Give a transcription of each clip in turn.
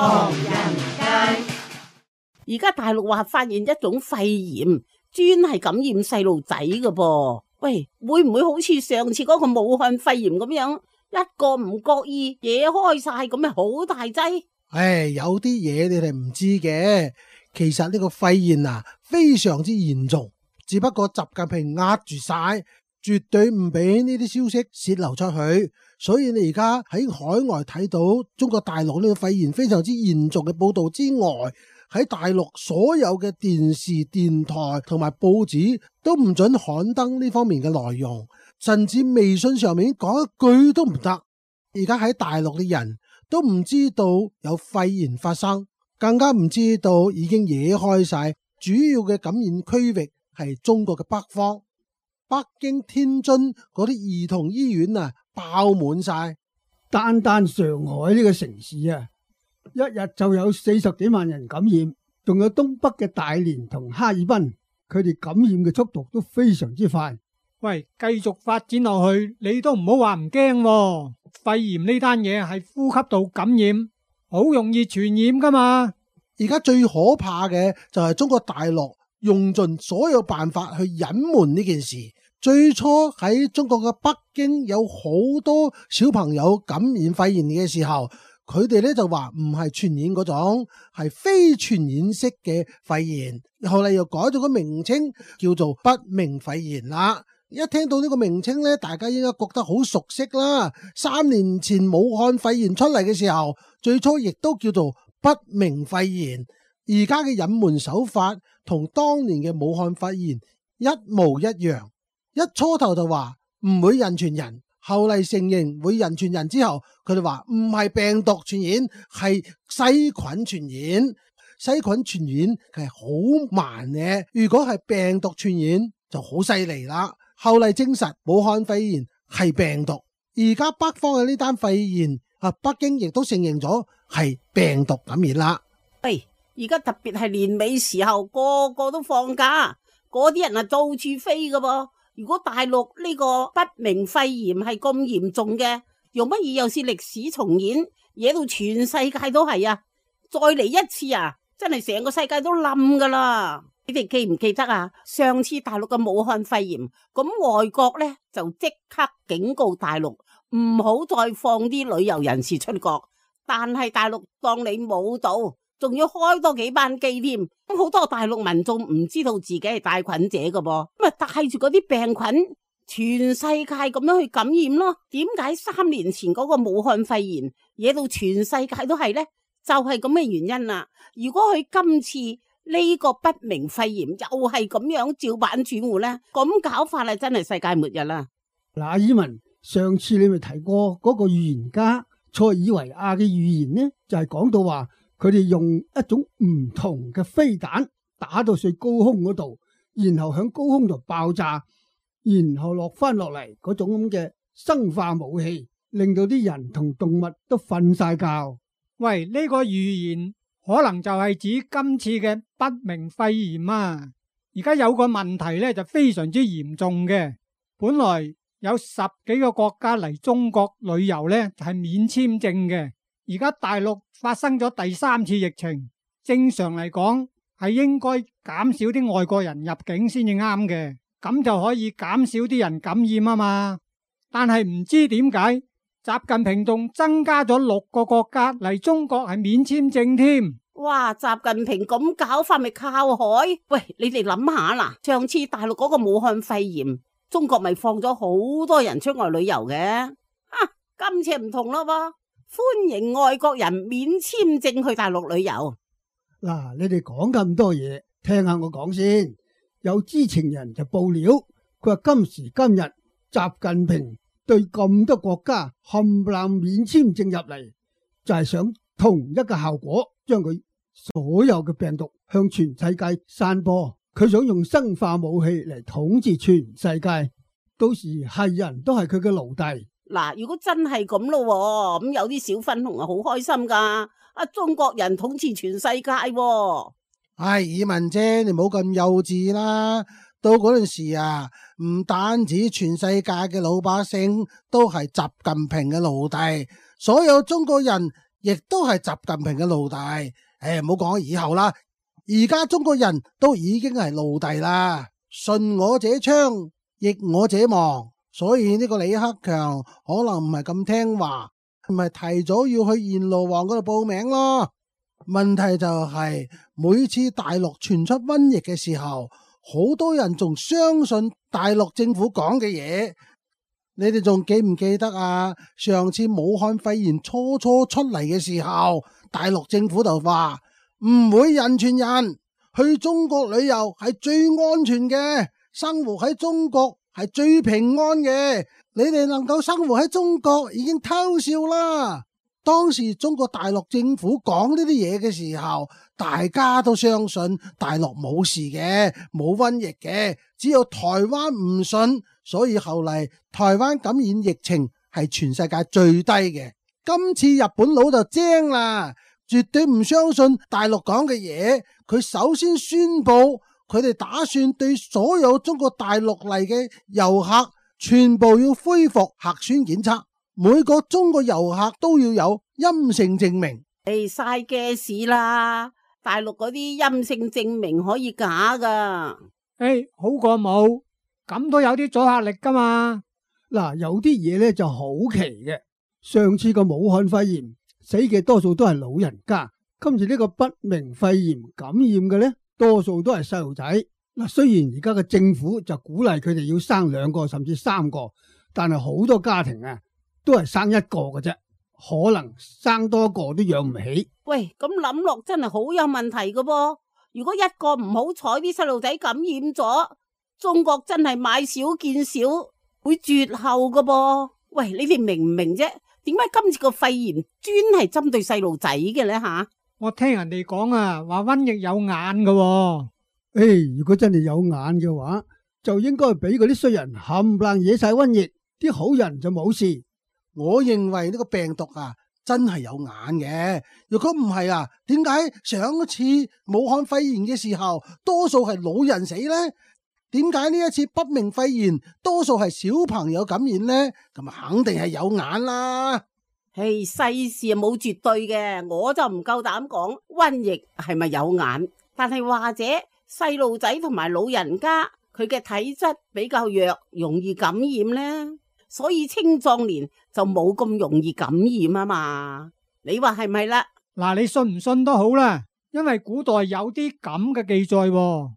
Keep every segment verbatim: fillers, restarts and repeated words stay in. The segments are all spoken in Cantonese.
唐人街。而家大陸話發現一種肺炎，專係感染細路仔㗎噃。喂，會唔會好似上次嗰個武漢肺炎咁樣，一個唔覺意惹開晒咁咪好大劑？唉，有啲嘢你哋唔知嘅，其實呢個肺炎啊非常之嚴重，只不過習近平壓住晒，絕對唔俾呢啲消息洩漏出去。所以你而家喺海外睇到中國大陸呢個肺炎非常之嚴重嘅報道之外，喺大陸所有嘅電視、電台同埋報紙都唔准刊登呢方面嘅內容，甚至微信上面講一句都唔得。而家喺大陸嘅人都唔知道有肺炎發生，更加唔知道已經惹開晒。主要嘅感染區域係中國嘅北方，北京、天津嗰啲兒童醫院啊爆滿晒。單單上海呢個城市啊，一日就有四十幾萬人感染，仲有東北嘅大連同哈爾濱，佢哋感染嘅速度都非常之快。喂，繼續發展落去，你都唔好話唔驚喎。肺炎呢單嘢係呼吸道感染，好容易傳染噶嘛。而家最可怕嘅就係中國大陸用盡所有辦法去隱瞞呢件事。最初喺中國嘅北京有好多小朋友感染肺炎嘅時候，佢哋咧就話唔係傳染嗰種，係非傳染式嘅肺炎。後嚟又改咗個名稱叫做不明肺炎啦。一聽到呢個名稱咧，大家應該覺得好熟悉啦。三年前武漢肺炎出嚟嘅時候，最初亦都叫做不明肺炎。而家嘅隱瞞手法同當年嘅武漢肺炎一模一樣。一初頭就話唔會人傳人，後嚟承認會人傳人之後，佢哋話唔係病毒傳染，係細菌傳染。細菌傳染係好慢嘅，如果係病毒傳染就好犀利啦。後嚟證實武漢肺炎係病毒，而家北方嘅呢單肺炎啊，北京亦都承認咗係病毒感染啦。喂，而家特別係年尾時候，個個都放假，嗰啲人啊到處飛噶噃。如果大陸呢個不明肺炎係咁嚴重嘅，用乜嘢又是歷史重演，惹到全世界都係啊！再嚟一次啊，真係成個世界都冧噶啦！你哋記唔記得啊？上次大陸嘅武漢肺炎，咁外國呢就即刻警告大陸唔好再放啲旅遊人士出國，但係大陸當你冇到，仲要開多幾班機添。咁好多大陸民眾唔知道自己係帶菌者㗎噃，咁啊帶住嗰啲病菌，全世界咁樣去感染咯。點解三年前嗰個武漢肺炎惹到全世界都係呢？就係咁嘅原因啦。如果佢今次呢個不明肺炎又係咁樣照板煮碗呢，咁搞法係真係世界末日啦。嗱，以文上次你咪提過嗰個預言家塞爾維亞嘅預言呢，就係講到話佢哋用一種唔同嘅飛彈打到上高空嗰度，然後響高空度爆炸，然後落翻落嚟嗰種咁嘅生化武器，令到啲人同動物都瞓晒覺。喂，呢個預言可能就係指今次嘅不明肺炎啊！而家有個問題咧，就非常之嚴重嘅。本來有十幾個國家嚟中國旅遊咧，就係免簽證嘅。而家大陸發生咗第三次疫情，正常嚟講係應該減少啲外國人入境先至啱嘅，咁就可以減少啲人感染啊嘛。但係唔知點解習近平仲增加咗六個國家嚟中國係免簽證添。哇！習近平咁搞法咪靠海？喂，你哋諗下啦，上次大陸嗰個武漢肺炎，中國咪放咗好多人出外旅遊嘅，啊，今次唔同咯噃，歡迎外國人免簽證去大陸旅遊。嗱，你哋講咁多嘢，聽下我講先。有知情人就報料，佢話今時今日習近平對咁多國家冚唪唥免簽證入嚟，就係想同一個效果，將佢所有嘅病毒向全世界散播。佢想用生化武器嚟統治全世界，到時係人都係佢嘅奴隸。嗱，如果真係咁咯，咁有啲小粉紅啊好開心噶，啊中國人統治全世界。唉，以文姐，你唔好咁幼稚啦。到嗰陣時啊，唔單止全世界嘅老百姓都係習近平嘅奴隸，所有中國人亦都係習近平嘅奴隸。誒，唔好講以後啦，而家中國人都已經係奴隸啦。順我者昌，逆我者亡。所以呢個李克強可能唔係咁聽話，唔係提早要去閻羅王嗰度報名咯。問題就係每次大陸傳出瘟疫嘅時候，好多人仲相信大陸政府講嘅嘢。你哋仲記唔記得啊？上次武漢肺炎初初出嚟嘅時候，大陸政府就話唔會人傳人，去中國旅遊係最安全嘅，生活喺中國係最平安嘅。你哋能夠生活喺中國已經偷笑啦。當時中國大陸政府講呢啲嘢嘅時候，大家都相信大陸冇事嘅，冇瘟疫嘅，只有台灣唔信，所以後嚟台灣感染疫情係全世界最低嘅。今次日本佬就精啦，絕對唔相信大陸講嘅嘢。佢首先宣布佢哋打算對所有中國大陸嚟嘅遊客全部要恢復核酸檢測，每個中國遊客都要有陰性證明。誒，晒嘅事啦，大陸嗰啲陰性證明可以假噶。誒，好過冇，咁都有啲阻嚇力噶嘛。嗱，有啲嘢咧就好奇嘅。上次個武漢肺炎死嘅多數都係老人家，今次呢個不明肺炎感染嘅咧，多數都係細路仔。嗱，雖然而家嘅政府就鼓勵佢哋要生兩個甚至三個，但係好多家庭啊都係生一個嘅啫，可能生多個都養唔起。喂，咁諗落真係好有問題噶噃。如果一個唔好彩啲細路仔感染咗，中國真係買少見少，會絕後噶噃。喂，你哋明唔明啫？點解今次個肺炎專係針對細路仔嘅呢？吓？我聽人哋講啊，話瘟疫有眼噶喎。誒，如果真係有眼嘅話，就應該俾嗰啲衰人冚唪唥惹晒瘟疫，啲好人就冇事。我認為呢個病毒啊真係有眼嘅。如果唔係啊，點解上一次武漢肺炎嘅時候多數係老人死呢？點解呢一次不明肺炎多數係小朋友感染呢？咁啊肯定係有眼啦。誒，世事啊冇絕對嘅，我就唔夠膽講瘟疫係咪有眼，但係或者細路仔同埋老人家佢嘅體質比較弱，容易感染呢，所以青壯年就冇咁容易感染啊嘛。你話係咪啦？嗱，你信唔信都好啦，因為古代有啲咁嘅記載喎。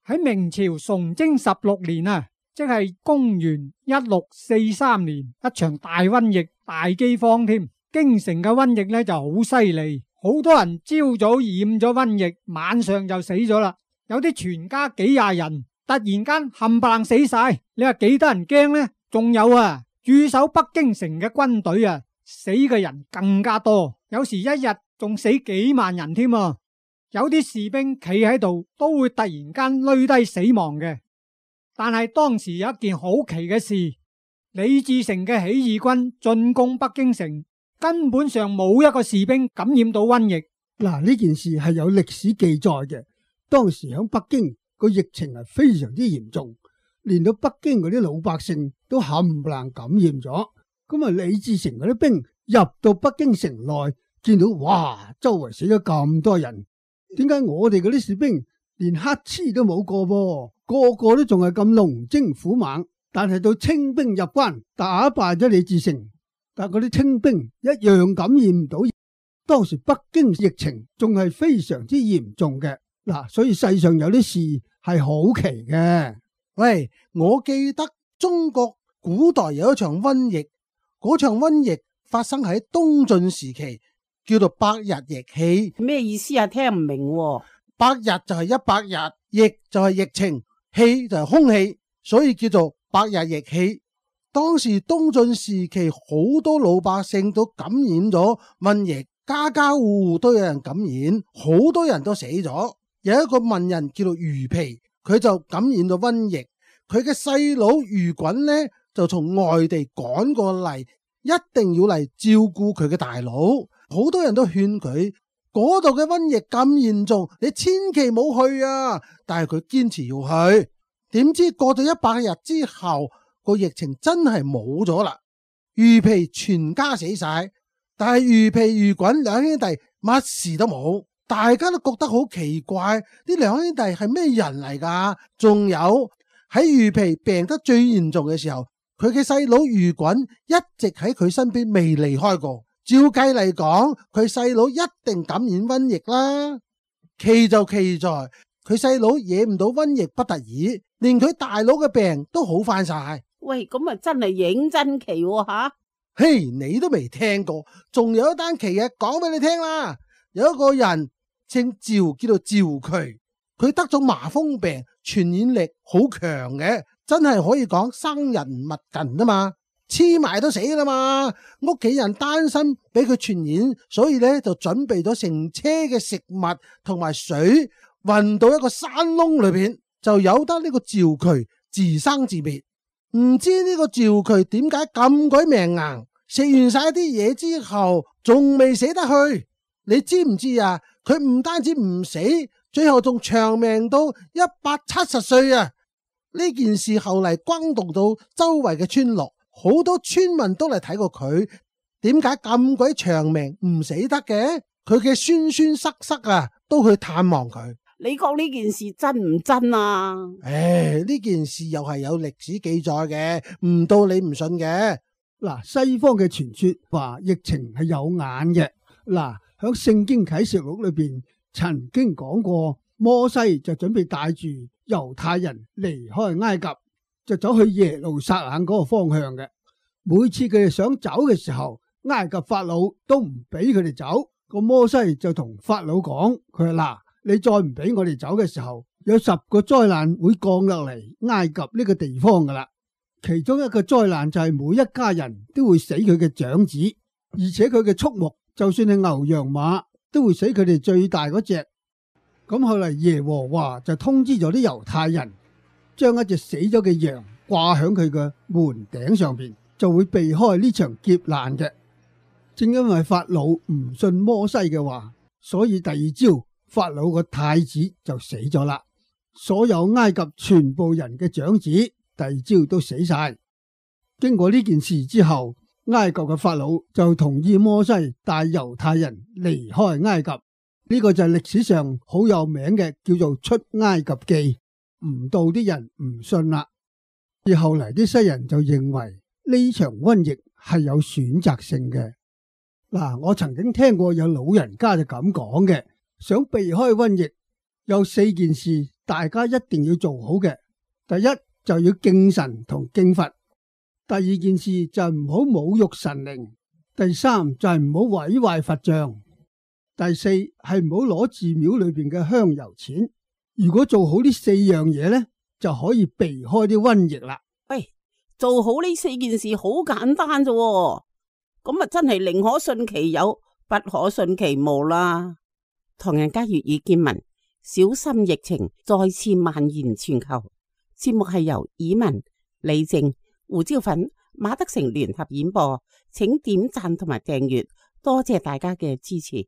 喺明朝崇禎十六年啊，即係公元一六四三年，一場大瘟疫、大饑荒添。京城嘅瘟疫咧就好犀利，好多人朝早染咗瘟疫，晚上就死咗啦。有啲全家幾廿人突然間冚唪唥死晒，你話幾得人驚呢？仲有啊，駐守北京城嘅軍隊啊，死嘅人更加多，有時一日仲死幾萬人添啊！有啲士兵企喺度都會突然間累低死亡嘅。但係當時有一件好奇嘅事，李自成嘅起義軍進攻北京城，根本上冇一個士兵感染到瘟疫。嗱，呢件事係有歷史記載嘅。當時喺北京個疫情係非常之嚴重，連到北京嗰啲老百姓都冚唪唥感染咗。咁啊，李自成嗰啲兵入到北京城內，見到哇，周圍死咗咁多人。點解我哋嗰啲士兵連乞嗤都冇過噃？個個都仲係咁龍精虎猛，但係到清兵入關打敗咗李自成，但係嗰啲清兵一樣感染唔到。當時北京疫情仲係非常之嚴重嘅。嗱，所以世上有啲事係好奇嘅。喂，我記得中國古代有一場瘟疫，嗰場瘟疫發生喺東晉時期，叫做百日疫氣。咩意思啊？聽唔明喎。百日就係一百日，疫就係疫情，氣就係空氣，所以叫做百日疫氣。當時東晉時期好多老百姓都感染咗瘟疫，家家戶戶都有人感染，好多人都死咗。有一個文人叫做余皮，佢就感染咗瘟疫，佢嘅細佬余袞呢就從外地趕過嚟，一定要嚟照顧佢嘅大佬。好多人都勸佢，嗰度嘅瘟疫咁嚴重，你千祈冇去啊！但係佢堅持要去。點知過咗一百日之後，個疫情真係冇咗啦，余皮全家死晒，但係魚皮魚滾兩兄弟乜事都冇，大家都覺得好奇怪，呢兩兄弟係咩人嚟㗎？仲有喺魚皮病得最嚴重嘅時候，佢嘅細佬魚滾一直喺佢身邊未離開過。照計嚟講，佢細佬一定感染瘟疫啦。奇就奇在佢細佬惹唔到瘟疫不特止，連佢大佬嘅病都好翻晒。喂，咁啊真係認真奇喎吓！嘿，你都未聽過，仲有一單奇嘅講俾你聽啦。有一個人姓趙，叫做趙渠，佢得咗麻風病，傳染力好強嘅，真係可以講生人勿近啊嘛。黐埋都死啦嘛，屋企人擔心俾佢傳染，所以咧就準備咗成車嘅食物同埋水運到一個山窿裏邊，就由得呢個趙渠自生自滅。唔知呢個趙渠點解咁鬼命硬，食完晒啲嘢之後仲未死得去？你知唔知啊？佢唔單止唔死，最後仲長命到一百七十歲啊！呢件事後嚟轟動到周圍嘅村落。好多村民都嚟睇過佢，點解咁鬼長命唔死得嘅？佢嘅孫孫塞塞啊，都去探望佢。你講呢件事真唔真啊？唉，呢件事又係有歷史記載嘅，唔到你唔信嘅。嗱，西方嘅傳說話疫情係有眼嘅。嗱，響聖經啟示錄裏邊曾經講過，摩西就準備帶住猶太人離開埃及，就走去耶路撒冷嗰個方向嘅。每次佢哋想走嘅時候，埃及法老都唔俾佢哋走。個摩西就同法老講，佢話嗱，你再唔俾我哋走嘅時候，有十個災難會降落嚟埃及呢個地方噶啦。其中一個災難就係每一家人都會死佢嘅長子，而且佢嘅畜牧就算係牛羊馬都會死佢哋最大嗰隻。咁後嚟耶和華就通知咗啲猶太人，將一隻死咗嘅羊掛響佢嘅門頂上邊，就會避開呢場劫難嘅。正因為法老唔信摩西嘅話，所以第二朝法老個太子就死咗啦。所有埃及全部人嘅長子第二朝都死晒。經過呢件事之後，埃及嘅法老就同意摩西帶猶太人離開埃及。呢個就係歷史上好有名嘅，叫做出埃及記。唔到啲人唔信啦，而後嚟啲西人就認為呢場瘟疫係有選擇性嘅。嗱，我曾經聽過有老人家就咁講嘅，想避開瘟疫，有四件事大家一定要做好嘅。第一就要敬神同敬佛，第二件事就係唔好侮辱神靈，第三就係唔好毀壞佛像，第四係唔好攞寺廟裏邊嘅香油錢。如果做好呢四樣嘢呢，就可以避開啲瘟疫啦。喂，做好呢四件事好簡單啫，咁啊真係寧可信其有，不可信其無啦。唐人街粵語見聞，小心疫情再次蔓延全球。節目係由以文、李靜、胡椒粉、馬德成聯合演播，請點讚同埋訂閱，多謝大家嘅支持。